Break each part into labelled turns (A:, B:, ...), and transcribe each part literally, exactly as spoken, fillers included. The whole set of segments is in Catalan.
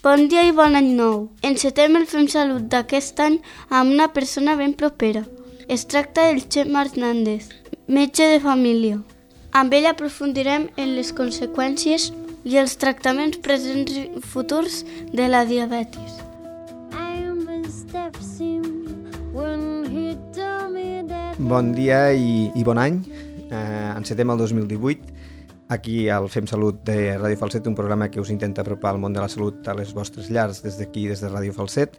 A: Bon dia i bon any nou. Encetem el Fem Salut d'aquest any amb una persona ben propera. Es tracta del Xema Hernández, metge de família. Amb ell aprofundirem en les conseqüències i els tractaments presents i futurs de la diabetis.
B: Bon dia i, i bon any. Eh, encetem el dos mil divuit. Aquí al Fem Salut de Ràdio Falset, un programa que us intenta apropar al món de la salut a les vostres llars des d'aquí, des de Ràdio Falset.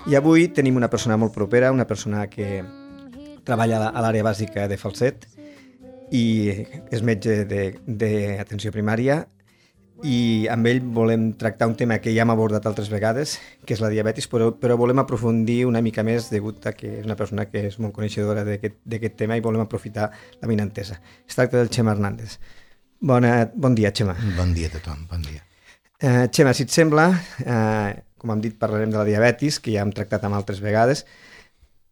B: I avui tenim una persona molt propera, una persona que treballa a l'àrea bàsica de Falset i és metge d'atenció primària, i amb ell volem tractar un tema que ja hem abordat altres vegades, que és la diabetis, però, però volem aprofundir una mica més degut a que és una persona que és molt coneixedora d'aquest tema i volem aprofitar la vinentesa. Es tracta del Xema Hernández. Bona, bon dia, Xema.
C: Bon dia a tothom, bon dia.
B: Uh, Xema, si et sembla, uh, com hem dit, parlarem de la diabetis, que ja hem tractat amb altres vegades.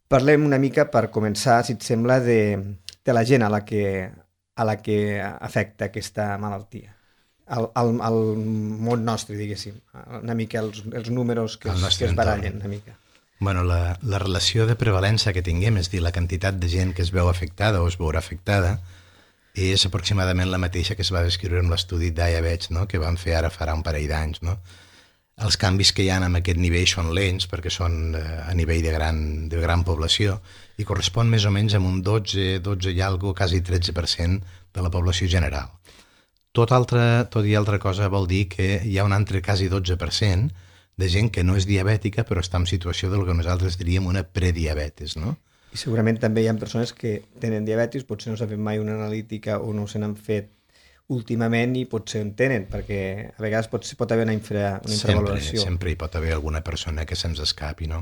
B: Parlem una mica, per començar, si et sembla, de, de la gent a la que, a la que afecta aquesta malaltia. Al, al, al món nostre, diguéssim, una mica els, els números que es, que es barallen una mica.
C: Bueno, la, la relació de prevalença que tinguem, és dir, la quantitat de gent que es veu afectada o es veurà afectada, és aproximadament la mateixa que es va descriure en l'estudi Diabetes, no?, que vam fer ara farà un parell d'anys. No? Els canvis que hi ha en aquest nivell són lents, perquè són a nivell de gran, de gran població, i correspon més o menys a un dotze, dotze i algo, quasi tretze per cent de la població general. Tot, altre, tot i altra cosa vol dir que hi ha un altre quasi dotze per cent de gent que no és diabètica però està en situació del que nosaltres diríem una prediabetes, no?
B: I segurament també hi ha persones que tenen diabetis, potser no s'ha fet mai una analítica o no se n'han fet últimament i potser en tenen, perquè a vegades pot, pot haver una, infra, una infravaloració.
C: Sempre, sempre hi pot haver alguna persona que se'ns escapi, no?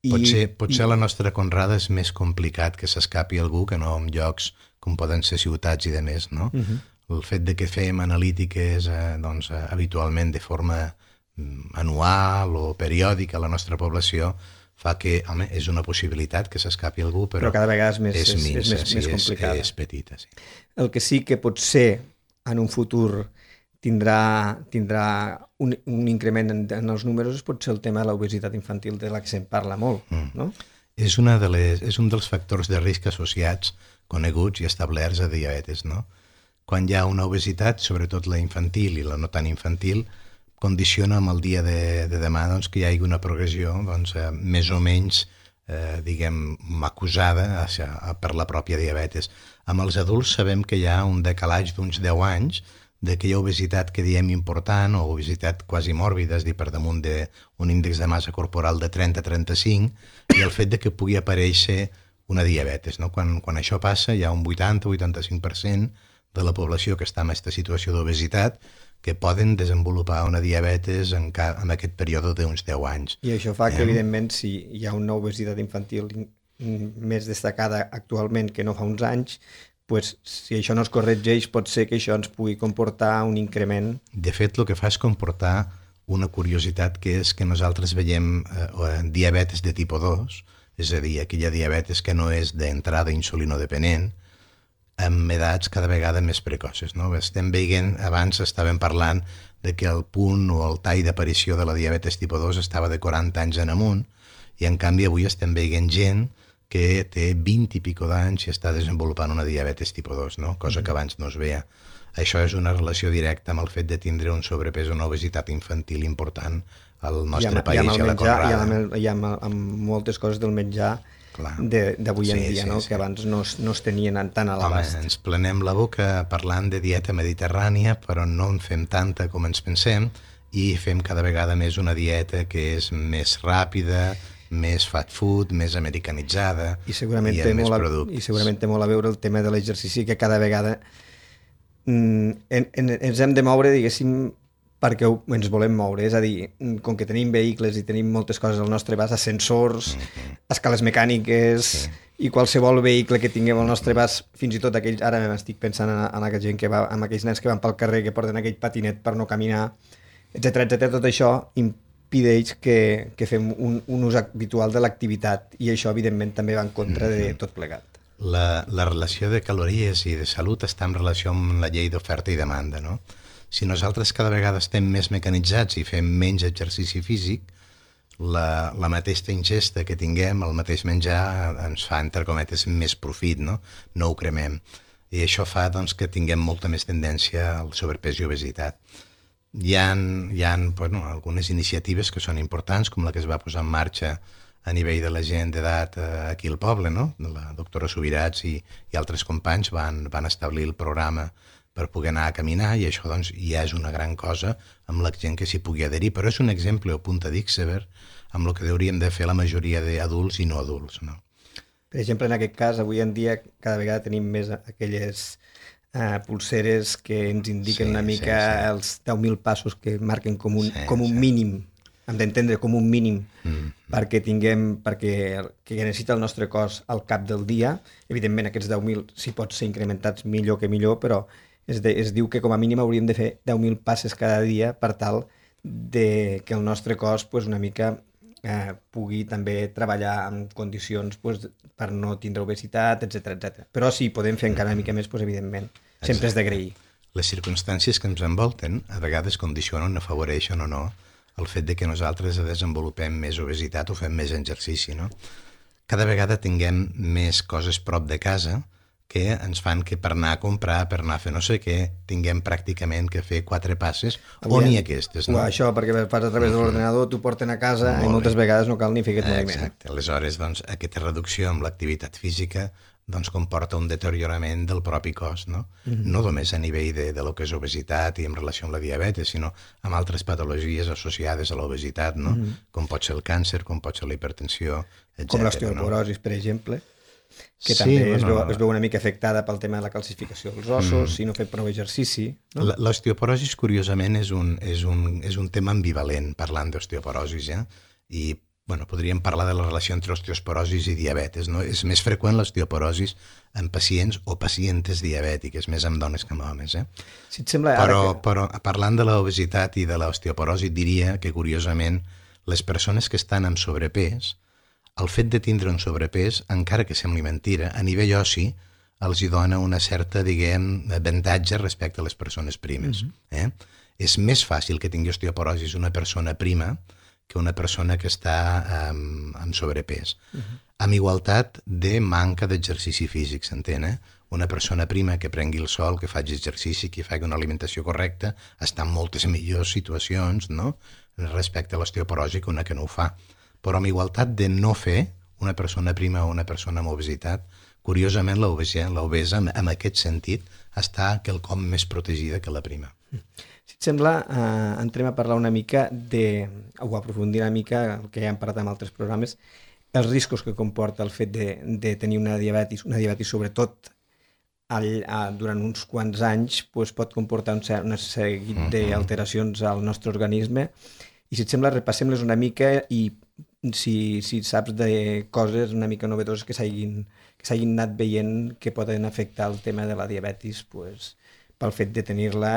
C: I, potser potser i... la nostra conrada és més complicat que s'escapi algú que no en llocs com poden ser ciutats i de més, no? Uh-huh. El fet de que fem analítiques eh, doncs, eh, habitualment de forma mm, anual o periòdica a la nostra població fa que, home, és una possibilitat que s'escapi algú, però,
B: però cada vegada és més,
C: és,
B: és,
C: minsa,
B: és més,
C: sí,
B: més complicada.
C: És, és petita, sí.
B: El que sí que potser en un futur tindrà, tindrà un, un increment en, en els números és potser el tema de l'obesitat infantil, de la que se'n parla molt, mm. no?
C: És, una de les, és un dels factors de risc associats, coneguts i establerts a diabetes, no? Quan hi ha una obesitat, sobretot la infantil i la no tan infantil, condiciona amb el dia de, de demà doncs, que hi hagi una progressió doncs, eh, més o menys eh, diguem, acusada a, a, per la pròpia diabetes. Amb els adults sabem que hi ha un decalatge d'uns deu anys d'aquella obesitat que diem important o obesitat quasi mòrbida, és a dir, per damunt d'un índex de massa corporal de trenta a trenta-cinc, i el fet de que pugui aparèixer una diabetes. No? Quan, quan això passa hi ha un vuitanta a vuitanta-cinc per cent de la població que està en aquesta situació d'obesitat que poden desenvolupar una diabetes en, ca... en aquest període d'uns deu anys.
B: I això fa que, eh? evidentment, si hi ha una obesitat infantil més destacada actualment que no fa uns anys, pues, si això no es corregeix, pot ser que això ens pugui comportar un increment.
C: De fet, el que fa és comportar una curiositat, que és que nosaltres veiem eh, diabetes de tipus dos, és a dir, aquella diabetes que no és d'entrada insulinodepenent, amb edats cada vegada més precoces. No? Estem veient, abans estàvem parlant de que el punt o el tall d'aparició de la diabetes tipus dos estava de quaranta anys en amunt, i en canvi avui estem veient gent que té vint i pico d'anys i està desenvolupant una diabetes tipus dos, no? Cosa que abans no es veia. Això és una relació directa amb el fet de tindre un sobrepès o una obesitat infantil important al nostre
B: I amb,
C: país i,
B: i a la
C: menjar,
B: conrada. I amb, i amb, amb moltes coses del menjar d'avui en sí, dia, sí, no? Sí. Que abans no es, no es tenien tant a l'abast.
C: Home, ens plenem la boca parlant de dieta mediterrània, però no en fem tanta com ens pensem, i fem cada vegada més una dieta que és més ràpida, més fast food, més americanitzada,
B: i, segurament
C: i
B: té
C: amb més
B: molt a,
C: productes.
B: I segurament té molt a veure el tema de l'exercici, que cada vegada mm, en, en, ens hem de moure, diguéssim, perquè ens volem moure, és a dir, com que tenim vehicles i tenim moltes coses al nostre abast, ascensors, mm-hmm. escales mecàniques, sí. I qualsevol vehicle que tinguem al nostre abast, fins i tot aquells, ara m'estic pensant en, en aquella gent que va, en aquells nens que van pel carrer, que porten aquell patinet per no caminar, etcètera, etcètera, tot això impedeix que, que fem un, un ús habitual de l'activitat, i això, evidentment, també va en contra de tot plegat.
C: La, la relació de calories i de salut està en relació amb la llei d'oferta i demanda, no? Si nosaltres cada vegada estem més mecanitzats i fem menys exercici físic, la, la mateixa ingesta que tinguem, el mateix menjar, ens fa, entre cometes, més profit, no? No ho cremem. I això fa doncs, que tinguem molta més tendència al sobrepès i obesitat. Hi ha, hi ha bueno, algunes iniciatives que són importants, com la que es va posar en marxa a nivell de la gent d'edat aquí al poble, no? La doctora Subirats i, i altres companys van, van establir el programa per poder anar a caminar, i això doncs, ja és una gran cosa amb la gent que s'hi pugui adherir, però és un exemple o punta d'iceberg amb el que hauríem de fer la majoria d'adults i no adults, no?
B: Per exemple, en aquest cas, avui en dia cada vegada tenim més aquelles uh, pulseres que ens indiquen sí, una mica sí, sí. els deu mil passos que marquen com un, sí, com un sí. mínim, hem d'entendre com un mínim mm. perquè tinguem, perquè que necessita el nostre cos al cap del dia. Evidentment, aquests deu mil, si pot ser incrementats millor que millor, però es, de, es diu que com a mínim hauríem de fer deu mil passes cada dia per tal de que el nostre cos pues, una mica eh, pugui també treballar en condicions pues, per no tindre obesitat, etcètera, etcètera. Però si podem fer encara una mica més, pues, evidentment, sempre és d'agrair.
C: Les circumstàncies que ens envolten a vegades condicionen o afavoreixen o no el fet de que nosaltres desenvolupem més obesitat o fem més exercici, no? Cada vegada tinguem més coses prop de casa que ens fan que per anar a comprar, per anar a fer no sé què, tinguem pràcticament que fer quatre passes, o ni aquestes, no?
B: O això, perquè fas a través de l'ordenador, t'ho porten a casa i moltes vegades no cal ni fer aquest moviment.
C: Exacte. Aleshores, doncs, aquesta reducció amb l'activitat física doncs, comporta un deteriorament del propi cos, no? Mm-hmm. No només a nivell de, de lo que és obesitat i en relació amb la diabetes, sinó amb altres patologies associades a l'obesitat, no? Mm-hmm. Com pot ser el càncer, com pot ser la hipertensió, etcètera.
B: Com l'osteoporosi, no? Per exemple, que sí, també bueno, es, veu, es veu una mica afectada pel tema de la calcificació dels ossos, mm. si no fer prou exercici. No?
C: L'osteoporosi, curiosament, és un, és, un, és un tema ambivalent, parlant d'osteoporosis, ja? I bueno, podríem parlar de la relació entre osteoporosis i diabetes, no? És més freqüent l'osteoporosis en pacients o pacientes diabètiques, més en dones que en homes, eh?
B: Si et sembla,
C: però,
B: ara que...
C: però parlant de l'obesitat i de l'osteoporosi, diria que, curiosament, les persones que estan amb sobrepès, el fet de tindre un sobrepès, encara que sembli mentira, a nivell oci els hi dona una certa, diguem, avantatge respecte a les persones primes. Mm-hmm. eh? És més fàcil que tingui osteoporosis una persona prima que una persona que està um, amb sobrepès. Mm-hmm. Amb igualtat de manca d'exercici físic, s'entén, eh? Una persona prima que prengui el sol, que faci exercici, que faci una alimentació correcta, està en moltes millors situacions, no?, respecte a l'osteoporosi que una que no ho fa. Però amb igualtat de no fer una persona prima o una persona amb obesitat, curiosament l'obesa, l'obesa en aquest sentit, està quelcom més protegida que la prima.
B: Si et sembla, eh, entrem a parlar una mica de, o aprofundir una mica el que ja hem parlat en altres programes, els riscos que comporta el fet de, de tenir una diabetis, una diabetis sobretot al, a, durant uns quants anys, pues, pot comportar un, un seguit uh-huh. d'alteracions al nostre organisme. I si et sembla, repassem-les una mica i si, si saps de coses una mica novedoses que s'hagin que s'hagin anat veient que poden afectar el tema de la diabetis pues, pel fet de tenir-la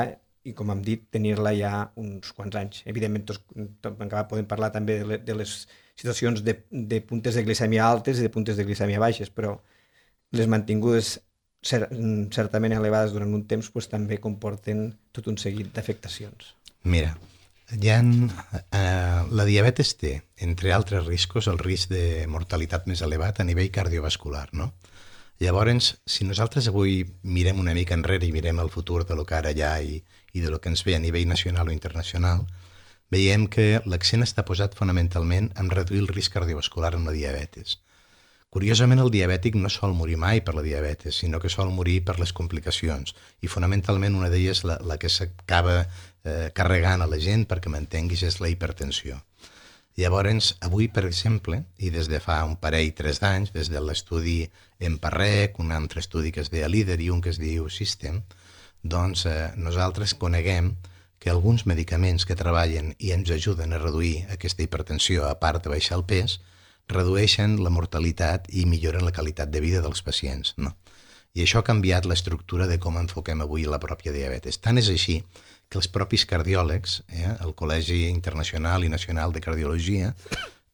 B: i, com hem dit, tenir-la ja uns quants anys. Evidentment, tots, tot, encara podem parlar també de, le, de les situacions de, de puntes de glicèmia altes i de puntes de glicèmia baixes, però les mantingudes cer certament elevades durant un temps pues, també comporten tot un seguit d'afectacions.
C: Mira, hi ha, eh, la diabetes té, entre altres riscos, el risc de mortalitat més elevat a nivell cardiovascular, no? Llavors, si nosaltres avui mirem una mica enrere i mirem el futur de lo que ara hi ha i, i de lo que ens ve a nivell nacional o internacional, veiem que l'accent està posat fonamentalment en reduir el risc cardiovascular amb la diabetes. Curiosament, el diabètic no sol morir mai per la diabetes, sinó que sol morir per les complicacions, i fonamentalment una d'elles, la, la que s'acaba eh, carregant a la gent, perquè m'entenguis, és la hipertensió. Llavors, avui, per exemple, i des de fa un parell, tres d'anys, des de l'estudi EMPA-REC, un altre estudi que es deia LEADER i un que es diu SYSTEM, doncs eh, nosaltres coneguem que alguns medicaments que treballen i ens ajuden a reduir aquesta hipertensió, a part de baixar el pes, redueixen la mortalitat i milloren la qualitat de vida dels pacients, no? I això ha canviat l'estructura de com enfoquem avui la pròpia diabetes. Tant és així que els propis cardiòlegs, eh, el Col·legi Internacional i Nacional de Cardiologia,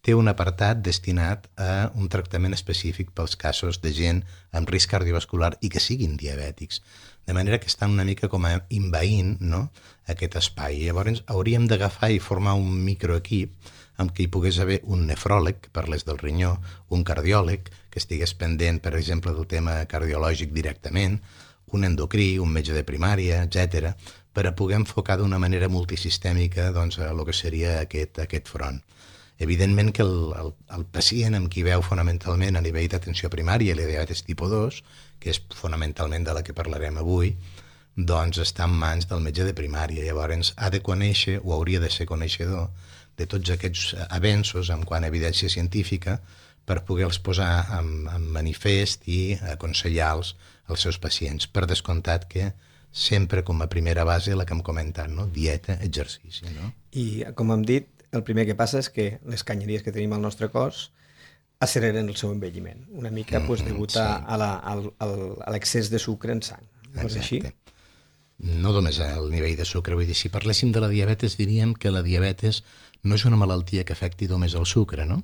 C: té un apartat destinat a un tractament específic pels casos de gent amb risc cardiovascular i que siguin diabètics. de manera que estan una mica com a envaint, no?, aquest espai. Llavors hauríem d'agafar i formar un microequip amb què hi pogués haver un nefròleg, que parlés del rinyó, un cardiòleg, que estigués pendent, per exemple, del tema cardiològic directament, un endocrí, un metge de primària, etcètera, per a poder enfocar d'una manera multisistèmica doncs, a el que seria aquest, aquest front. Evidentment que el, el, el pacient amb qui veu fonamentalment a nivell d'atenció primària i la diabetes tipus dos, que és fonamentalment de la que parlarem avui, doncs està en mans del metge de primària. Llavors ha de conèixer, o hauria de ser coneixedor, de tots aquests avenços en quant a evidència científica per poder-los posar en, en manifest i aconsellar-los als seus pacients. Per descomptat que sempre com a primera base la que hem comentat, no? Dieta, exercici. No?
B: I com hem dit, el primer que passa és que les canyeries que tenim al nostre cos acceleren el seu envelliment, una mica mm -hmm, pues, degut a, sí. a, la, al, al, a l'excés de sucre en sang. No és així?
C: No només al nivell de sucre, vull dir, si parléssim de la diabetes diríem que la diabetes no és una malaltia que afecti només el sucre, no?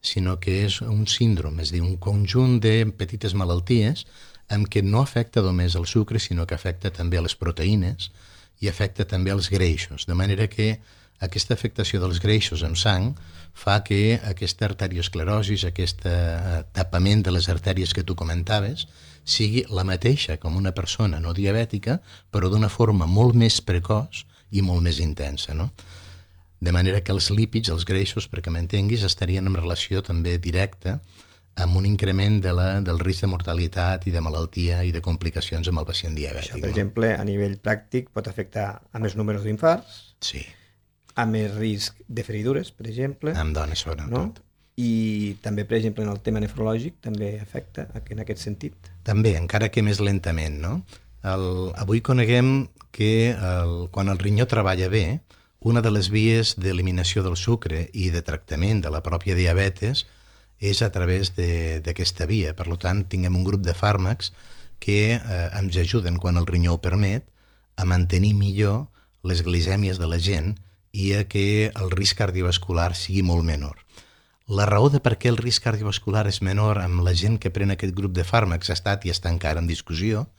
C: Sinó que és un síndrome, és a dir, un conjunt de petites malalties en què no afecta només el sucre, sinó que afecta també les proteïnes i afecta també els greixos, de manera que aquesta afectació dels greixos en sang fa que aquesta arteriosclerosi, aquest tapament de les artèries que tu comentaves, sigui la mateixa com una persona no diabètica, però d'una forma molt més precoç i molt més intensa, no? De manera que els lípids, els greixos, perquè m'entenguis, estarien en relació també directa amb un increment de la, del risc de mortalitat i de malaltia i de complicacions amb el pacient diabètic.
B: Això, per
C: no?
B: exemple, a nivell pràctic pot afectar a més números d'infarts,
C: sí.
B: a més risc de feridures, per exemple.
C: Amb dones, sobretot.
B: No? I també, per exemple, en el tema nefrològic també afecta en aquest sentit.
C: També, encara que més lentament, no? El, avui coneguem que el, quan el rinyó treballa bé, una de les vies d'eliminació del sucre i de tractament de la pròpia diabetes és a través d'aquesta via. Per tant, tinguem un grup de fàrmacs que eh, ens ajuden, quan el rinyó ho permet, a mantenir millor les glicèmies de la gent i a que el risc cardiovascular sigui molt menor. La raó de per què el risc cardiovascular és menor amb la gent que pren aquest grup de fàrmacs ha estat i està encara en discussió.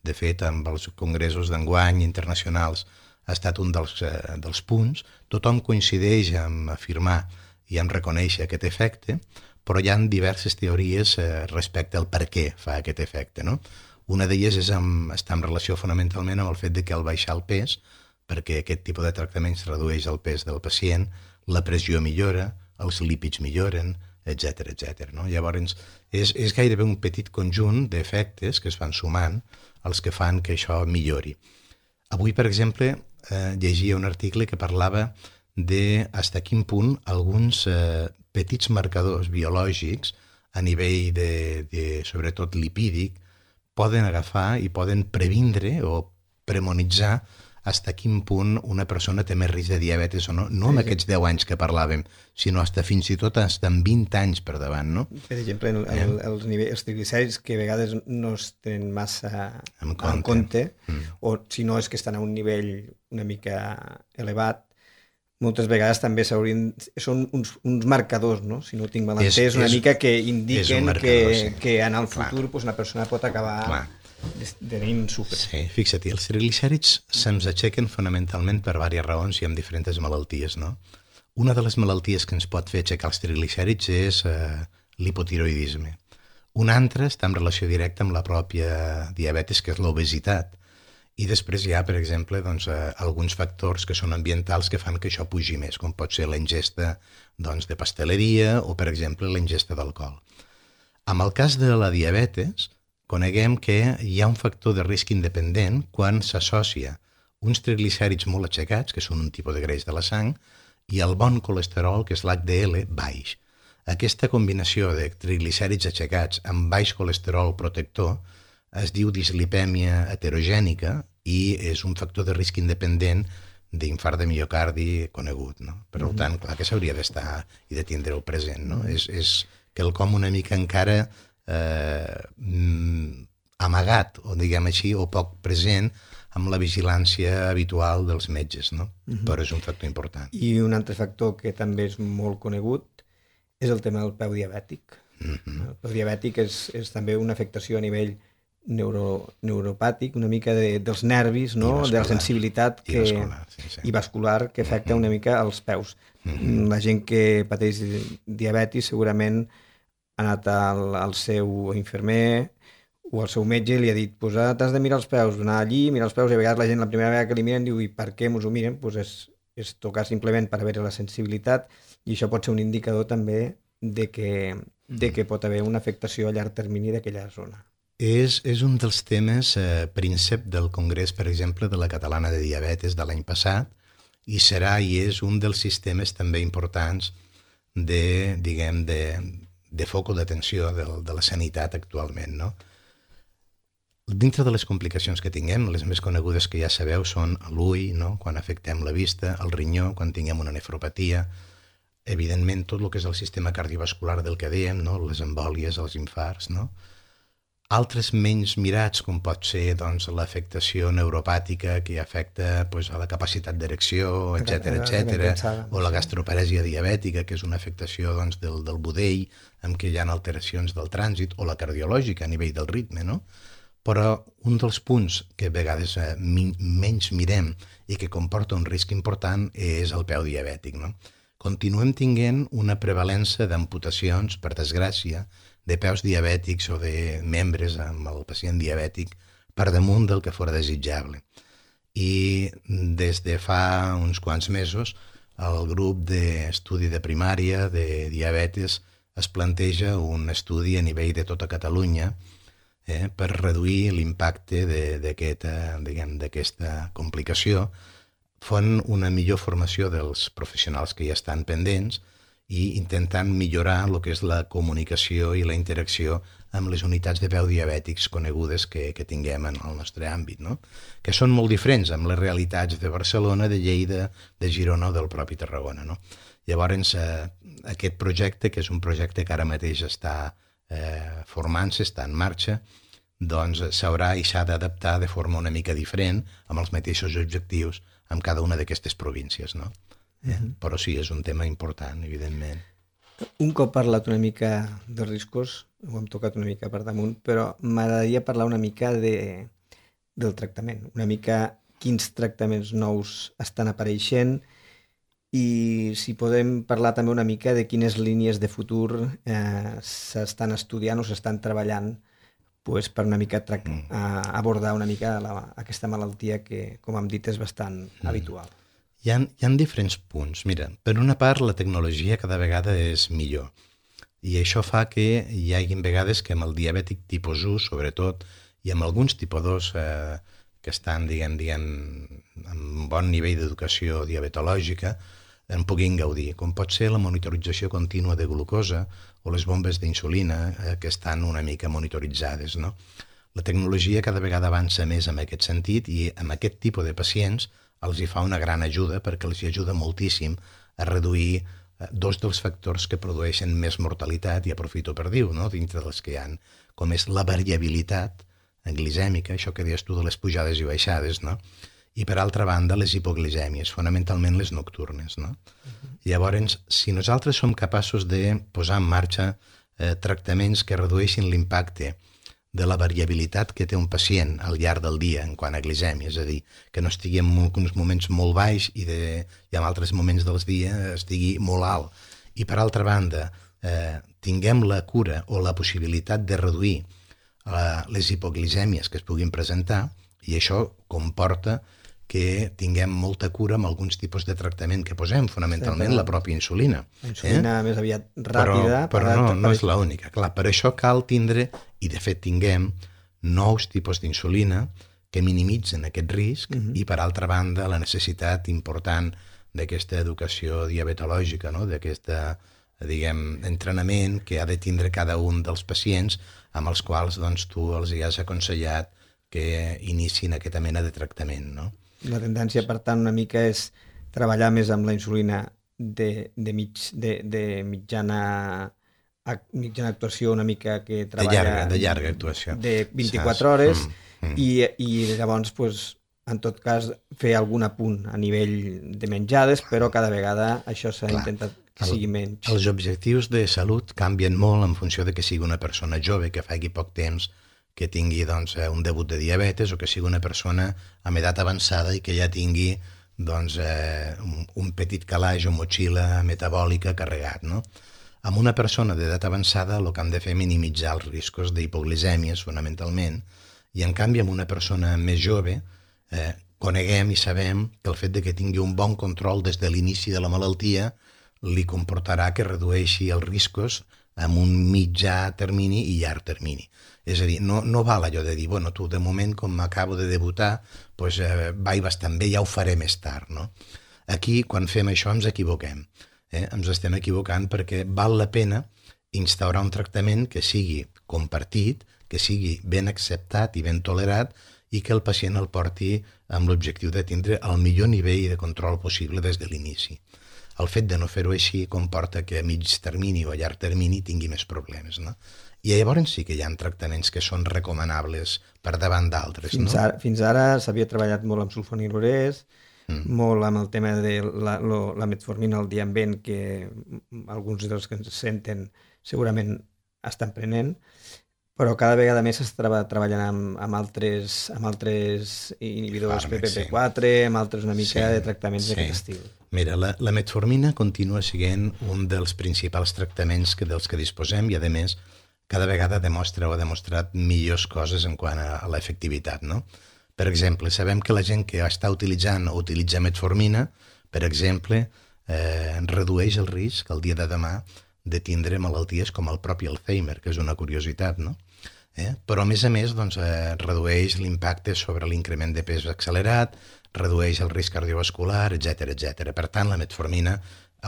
C: De fet, amb els congressos d'enguany internacionals ha estat un dels, eh, dels punts. Tothom coincideix en afirmar i en reconèixer aquest efecte, però hi ha diverses teories eh, respecte al per què fa aquest efecte, no? Una d'elles és amb, està en relació fonamentalment amb el fet de que al baixar el pes, perquè aquest tipus de tractaments redueix el pes del pacient, la pressió millora, els lípids milloren, etcètera, etcètera. No? Llavors, és, és gairebé un petit conjunt d'efectes que es van sumant els que fan que això millori. Avui, per exemple, eh, llegia un article que parlava de fins a quin punt alguns eh, petits marcadors biològics a nivell de, de, sobretot lipídic, poden agafar i poden previndre o premonitzar fins a quin punt una persona té més risc de diabetes o no, no amb aquests deu anys que parlàvem, sinó fins, fins i tot fins en vint anys per davant, no?
B: Per exemple, el, el, els, nivells, els triglicèrids que a vegades no es tenen massa
C: en compte,
B: en compte
C: mm.
B: o si no és que estan a un nivell una mica elevat, moltes vegades també s'haurien... Són uns, uns marcadors, no? Si no tinc mal entès, una és, mica que indiquen marcador, que, sí. que en el futur pues, una persona pot acabar... Clar. Tenim sucre.
C: Sí, fixa't, els triglicèrids se'ns aixequen fonamentalment per diverses raons i amb diferents malalties, no? Una de les malalties que ens pot fer aixecar els triglicèrids és eh, l'hipotiroidisme. Una altra està en relació directa amb la pròpia diabetes, que és l'obesitat. I després hi ha, per exemple, doncs, eh, alguns factors que són ambientals que fan que això pugi més, com pot ser la ingesta doncs, de pasteleria o, per exemple, la ingesta d'alcohol. En el cas de la diabetes, coneguem que hi ha un factor de risc independent quan s'associa uns triglicèrids molt aixecats, que són un tipus de greix de la sang, i el bon colesterol, que és l'H D L, baix. Aquesta combinació de triglicèrids aixecats amb baix colesterol protector es diu dislipèmia heterogènica i és un factor de risc independent d'infart de miocardi conegut, no? Per mm-hmm. tant, clar que s'hauria d'estar i de tindre-ho present, no? Mm-hmm. És, és quelcom una mica encara Eh, amagat, o diguem així, o poc present amb la vigilància habitual dels metges, no? Uh-huh. Però és un factor important.
B: I un altre factor que també és molt conegut és el tema del peu diabètic. Uh-huh. El peu diabètic és, és també una afectació a nivell neuro, neuropàtic, una mica de, dels nervis, no?
C: vascular,
B: de la sensibilitat que,
C: i vascular, sí, sí.
B: i vascular que afecta una mica als peus. Mm-hmm. La gent que pateix diabetis segurament ha anat al, al seu infermer o al seu metge i li ha dit pues, ah, t'has de mirar els peus, anar allí, mirar els peus, i a vegades la gent la primera vegada que li miren diu i per què mos ho miren? Pues és, és tocar simplement per haver la sensibilitat, i això pot ser un indicador també de que, de que pot haver una afectació a llarg termini d'aquella zona.
C: És, és un dels temes eh, príncep del Congrés, per exemple, de la Catalana de Diabetes de l'any passat, i serà i és un dels sistemes també importants de, diguem, de, de foco d'atenció de, de la sanitat actualment, no? Dintre de les complicacions que tinguem, les més conegudes que ja sabeu són l'ull, no? Quan afectem la vista, el rinyó, quan tinguem una nefropatia, evidentment tot el que és el sistema cardiovascular del que dèiem, no? Les embòlies, els infarts, no? Altres menys mirats, com pot ser doncs, l'afectació neuropàtica que afecta pues, a la capacitat d'erecció, etcètera, etcètera, o la gastroparèsia diabètica, que és una afectació doncs, del, del budell, amb què hi ha alteracions del trànsit, o la cardiològica a nivell del ritme, no? Però un dels punts que a vegades eh, mi, menys mirem i que comporta un risc important és el peu diabètic, no? Continuem tinguent una prevalença d'amputacions, per desgràcia, de peus diabètics o de membres amb el pacient diabètic per damunt del que fora desitjable. I des de fa uns quants mesos el grup d'estudi de primària de diabetes es planteja un estudi a nivell de tota Catalunya eh, per reduir l'impacte d'aquesta diguem, d'aquesta complicació, fent una millor formació dels professionals que ja estan pendents i intentant millorar el que és la comunicació i la interacció amb les unitats de peu diabètics conegudes que, que tinguem en el nostre àmbit, no? Que són molt diferents amb les realitats de Barcelona, de Lleida, de Girona o del propi Tarragona, no? Llavors, eh, aquest projecte, que és un projecte que ara mateix està eh, formant-se, està en marxa, doncs s'haurà i s'ha d'adaptar de forma una mica diferent amb els mateixos objectius amb cada una d'aquestes províncies, no? Uh-huh. Però sí, és un tema important, evidentment.
B: Un cop parlat una mica de riscos, ho hem tocat una mica per damunt, però m'agradaria parlar una mica de, del tractament, una mica quins tractaments nous estan apareixent i si podem parlar també una mica de quines línies de futur eh, s'estan estudiant o s'estan treballant pues, per una mica tra- mm. a abordar una mica la, aquesta malaltia que, com hem dit, és bastant mm. habitual.
C: Hi ha, hi ha diferents punts. Mira, per una part, la tecnologia cada vegada és millor. I això fa que hi hagi vegades que amb el diabètic tipus u, sobretot, i amb alguns tipus dos eh, que estan, diguem, diguem, amb bon nivell d'educació diabetològica, en puguin gaudir, com pot ser la monitorització contínua de glucosa o les bombes d'insulina eh, que estan una mica monitoritzades, no? La tecnologia cada vegada avança més en aquest sentit i amb aquest tipus de pacients els hi fa una gran ajuda perquè els hi ajuda moltíssim a reduir eh, dos dels factors que produeixen més mortalitat, i aprofito per dir-ho, no? Dintre dels que hi ha, com és la variabilitat glicèmica, això que deies tu de les pujades i baixades, no? I per altra banda les hipoglicèmies, fonamentalment les nocturnes, no? Uh-huh. Llavors, si nosaltres som capaços de posar en marxa eh, tractaments que redueixin l'impacte de la variabilitat que té un pacient al llarg del dia en quant a glicèmia, és a dir, que no estigui en uns moments molt baix i, de, i en altres moments dels dies estigui molt alt. I per altra banda, eh, tinguem la cura o la possibilitat de reduir eh, les hipoglicèmies que es puguin presentar, i això comporta que tinguem molta cura amb alguns tipus de tractament que posem, fonamentalment sí, la pròpia insulina.
B: La insulina eh? més aviat ràpida.
C: Però, però no, no és l'única. Clar, per això cal tindre, i de fet tinguem, nous tipus d'insulina que minimitzen aquest risc uh-huh. i per altra banda la necessitat important d'aquesta educació diabetològica, no? D'aquesta, diguem, entrenament que ha de tindre cada un dels pacients amb els quals doncs, tu els hi has aconsellat que iniciïn aquesta mena de tractament, no?
B: La tendència, per tant, una mica és treballar més amb la insulina de, de, mig, de, de mitjana, mitjana actuació, una mica que treballa...
C: De llarga, de llarga actuació.
B: De vint-i-quatre hores, mm, mm. I, i llavors, pues, en tot cas, fer algun apunt a nivell de menjades, però cada vegada això s'ha Clar, intentat que el, sigui menys.
C: Els objectius de salut canvien molt en funció de que sigui una persona jove, que faci poc temps que tingui doncs, un debut de diabetes o que sigui una persona amb edat avançada i que ja tingui doncs, eh, un, un petit calaix o motxilla metabòlica carregat, no? Amb una persona d'edat avançada el que hem de fer és minimitzar els riscos d'hipoglicèmies, fonamentalment, i en canvi amb una persona més jove eh, coneguem i sabem que el fet de que tingui un bon control des de l'inici de la malaltia li comportarà que redueixi els riscos amb un mitjà termini i llarg termini. És a dir, no, no val allò de dir, bueno, tu de moment, com m'acabo de debutar, doncs, eh, vaig bastant bé, ja ho faré més tard, no? Aquí, quan fem això, ens equivoquem. Eh? Ens estem equivocant perquè val la pena instaurar un tractament que sigui compartit, que sigui ben acceptat i ben tolerat i que el pacient el porti amb l'objectiu de tindre el millor nivell de control possible des de l'inici. El fet de no fer-ho així comporta que a mig termini o a llarg termini tingui més problemes, no? I llavors sí que hi ha tractaments que són recomanables per davant d'altres,
B: fins
C: no?
B: Ara, fins ara s'havia treballat molt amb sulfonilurès, mm. molt amb el tema de la, lo, la metformina al diambent, que alguns dels que ens senten segurament estan prenent, però cada vegada més s'està treballant amb, amb, altres, amb altres inhibidors P P P quatre, sí. amb altres una mica sí, de tractaments sí. d'aquest estil.
C: Mira, la, la metformina continua sent un dels principals tractaments que, dels que disposem i, a més, cada vegada demostra o ha demostrat millors coses en quant a, a l'efectivitat, no? Per exemple, sabem que la gent que està utilitzant o utilitza metformina, per exemple, eh, redueix el risc el dia de demà de tindre malalties com el propi Alzheimer, que és una curiositat, no? Eh? Però, a més a més, doncs, eh, redueix l'impacte sobre l'increment de pes accelerat, redueix el risc cardiovascular, etcètera, etcètera. Per tant, la metformina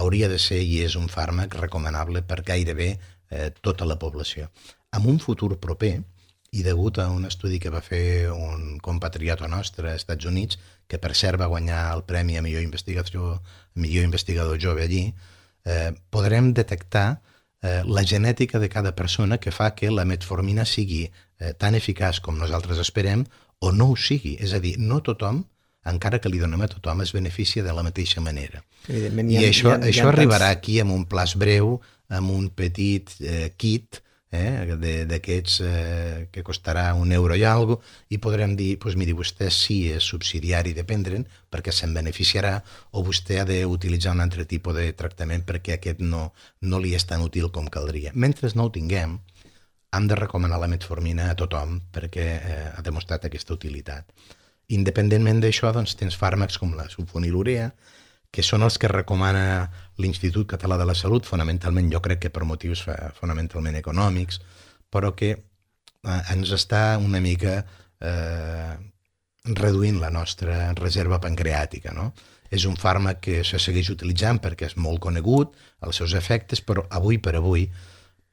C: hauria de ser i és un fàrmac recomanable per gairebé eh, tota la població. En un futur proper, i degut a un estudi que va fer un compatriota nostre als Estats Units, que per cert va guanyar el premi a millor investigador, millor investigador jove allí, Eh, podrem detectar eh, la genètica de cada persona que fa que la metformina sigui eh, tan eficaç com nosaltres esperem o no ho sigui. És a dir, no tothom, encara que li donem a tothom, es beneficia de la mateixa manera. I ha, això, ha, això arribarà tants... aquí amb un plaç breu, amb un petit eh, kit eh, d'aquests eh, que costarà un euro i alguna cosa, i podrem dir, doncs miri, vostè sí és subsidiari de prendre'n perquè se'n beneficiarà, o vostè ha d'utilitzar un altre tipus de tractament perquè aquest no, no li és tan útil com caldria. Mentre no ho tinguem, hem de recomanar la metformina a tothom perquè eh, ha demostrat aquesta utilitat. Independentment d'això, doncs, tens fàrmacs com la sulfonilurea, que són els que recomana l'Institut Català de la Salut, fonamentalment jo crec que per motius fonamentalment econòmics, però que eh, ens està una mica eh, reduint la nostra reserva pancreàtica, no? És un fàrmac que se segueix utilitzant perquè és molt conegut, els seus efectes, però avui per avui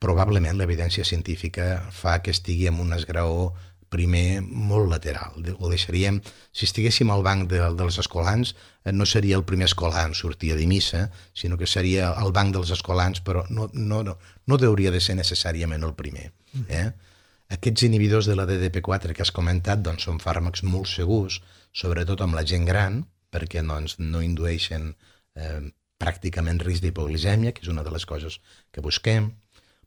C: probablement l'evidència científica fa que estigui en un esgraó primer molt lateral. Ho deixaríem, si estiguéssim al banc de, dels escolans, no seria el primer escolar en sortir de missa, sinó que seria el banc dels escolans, però no, no, no, no hauria de ser necessàriament el primer. Eh? Aquests inhibidors de la D D P quatre que has comentat doncs, són fàrmacs molt segurs, sobretot amb la gent gran, perquè doncs, no indueixen eh, pràcticament risc d'hipoglicèmia, que és una de les coses que busquem,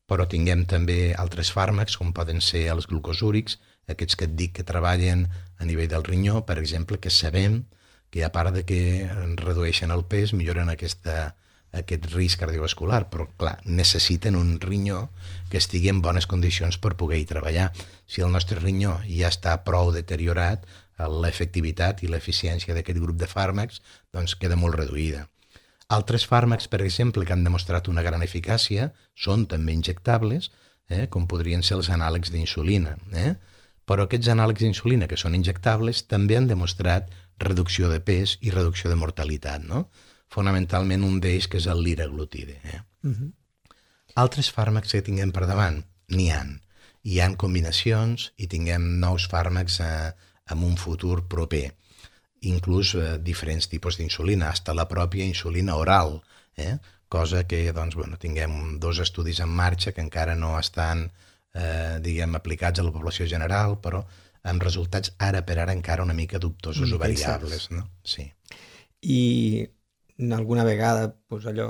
C: però tinguem també altres fàrmacs, com poden ser els glucosúrics, aquests que et dic que treballen a nivell del rinyó, per exemple, que sabem que a part de que redueixen el pes, milloren aquesta, aquest risc cardiovascular, però clar, necessiten un rinyó que estigui en bones condicions per poder-hi treballar. Si el nostre rinyó ja està prou deteriorat, l'efectivitat i l'eficiència d'aquest grup de fàrmacs doncs queda molt reduïda. Altres fàrmacs, per exemple, que han demostrat una gran eficàcia, són també injectables, eh, com podrien ser els anàlegs d'insulina, eh? Però aquests anàlegs d'insulina que són injectables també han demostrat reducció de pes i reducció de mortalitat, no? Fonamentalment un d'ells que és el liraglutide. Eh? Uh-huh. Altres fàrmacs que tinguem per davant, n'hi ha. Hi ha combinacions i tinguem nous fàrmacs eh, en un futur proper. Inclús eh, diferents tipus d'insulina, fins la pròpia insulina oral, eh? Cosa que doncs, bueno, tinguem dos estudis en marxa que encara no estan Eh, diguem, aplicats a la població general, però amb resultats ara per ara encara una mica dubtosos mm, o variables, no? Sí.
B: I alguna vegada, doncs allò,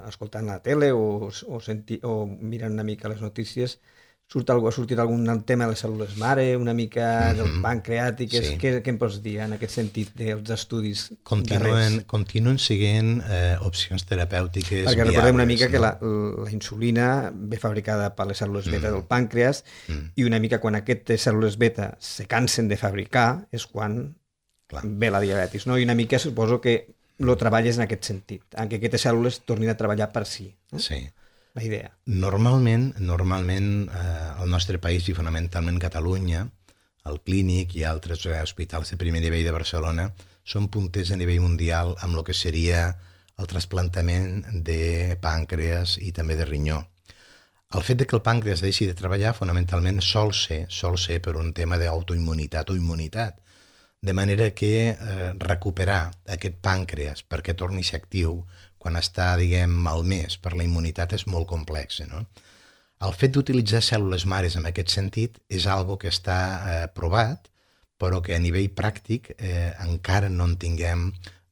B: escoltant la tele o, o, senti, o mirant una mica les notícies, surt algú, ha sortit algun tema de les cèl·lules mare, una mica mm-hmm. del pancreàtic, sí. què, què em pots dir en aquest sentit dels estudis
C: continuen, continuen siguent eh, opcions terapèutiques
B: perquè
C: viables,
B: recordem una mica
C: no?
B: que la, la insulina ve fabricada per les cèl·lules beta mm. del pàncreas mm. i una mica quan aquestes cèl·lules beta se cansen de fabricar és quan Clar. ve la diabetis, no? I una mica suposo que lo treballes en aquest sentit, en què aquestes cèl·lules tornin a treballar per si. No?
C: Sí.
B: La idea.
C: Normalment, normalment eh, al nostre país i fonamentalment Catalunya, el Clínic i altres eh, hospitals de primer nivell de Barcelona són punters a nivell mundial amb el que seria el trasplantament de pàncreas i també de rinyó. El fet de que el pàncreas deixi de treballar fonamentalment sol ser, sol ser per un tema d'autoimmunitat o immunitat, de manera que eh, recuperar aquest pàncreas perquè torni a ser actiu quan està, diguem, malmès per la immunitat és molt complex, no? El fet d'utilitzar cèl·lules mares en aquest sentit és algo que està eh, provat, però que a nivell pràctic eh, encara no en tinguem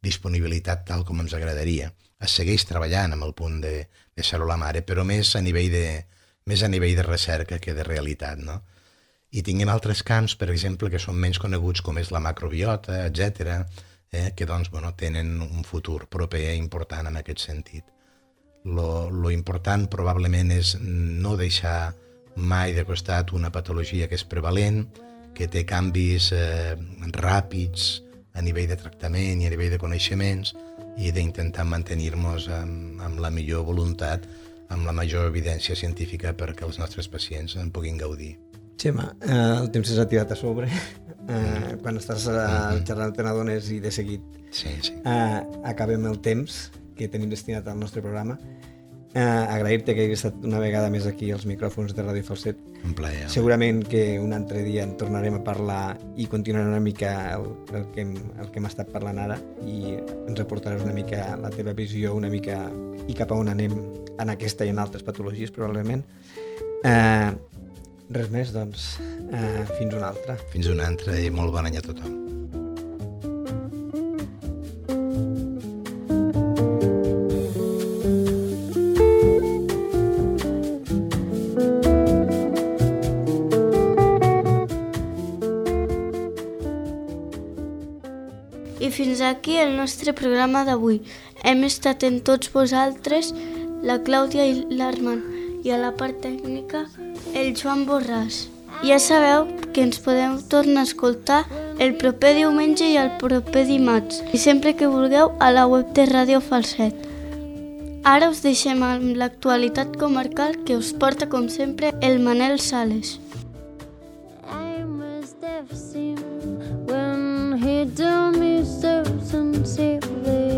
C: disponibilitat tal com ens agradaria. Es segueix treballant amb el punt de, de cèl·lula mare, però més a nivell de, més a nivell de recerca que de realitat, no? I tinguem altres camps, per exemple, que són menys coneguts, com és la macrobiota, etcètera, Eh, que doncs, bueno, tenen un futur proper important en aquest sentit. Lo, lo important probablement és no deixar mai de costat una patologia que és prevalent, que té canvis eh, ràpids a nivell de tractament i a nivell de coneixements i d'intentar mantenir-nos amb, amb la millor voluntat, amb la major evidència científica perquè els nostres pacients en puguin gaudir.
B: Xema, eh, el temps s'ha tirat a sobre. Eh, quan estàs uh, xerrant te n'adones i de seguit
C: sí, sí.
B: Eh, acabem el temps que tenim destinat al nostre programa. Eh, agrair-te que hagis estat una vegada més aquí als micròfons de Ràdio Falset.
C: Un plaer.
B: Segurament que un altre dia en tornarem a parlar i continuarem una mica el, el, que, hem, el que hem estat parlant ara i ens aportaràs una mica la teva visió una mica i cap a on anem en aquesta i en altres patologies probablement. Eh, Res més, doncs, eh, fins una altra.
C: Fins una altra i molt bon any a tothom.
A: I fins aquí el nostre programa d'avui. Hem estat en tots vosaltres, la Clàudia i l'Armand, i a la part tècnica el Joan Borràs. Ja sabeu que ens podeu tornar a escoltar el proper diumenge i el proper dimarts, i sempre que vulgueu a la web de Ràdio Falset. Ara us deixem amb l'actualitat comarcal que us porta, com sempre, el Manel Sales.
D: I must have seen when he told me so sincerely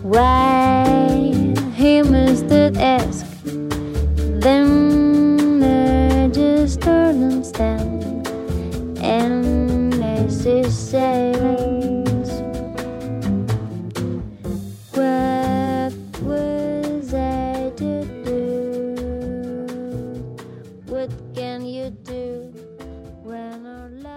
D: why he must ask. Then I just turned and stand, and as he says, what was I to do? What can you do when our life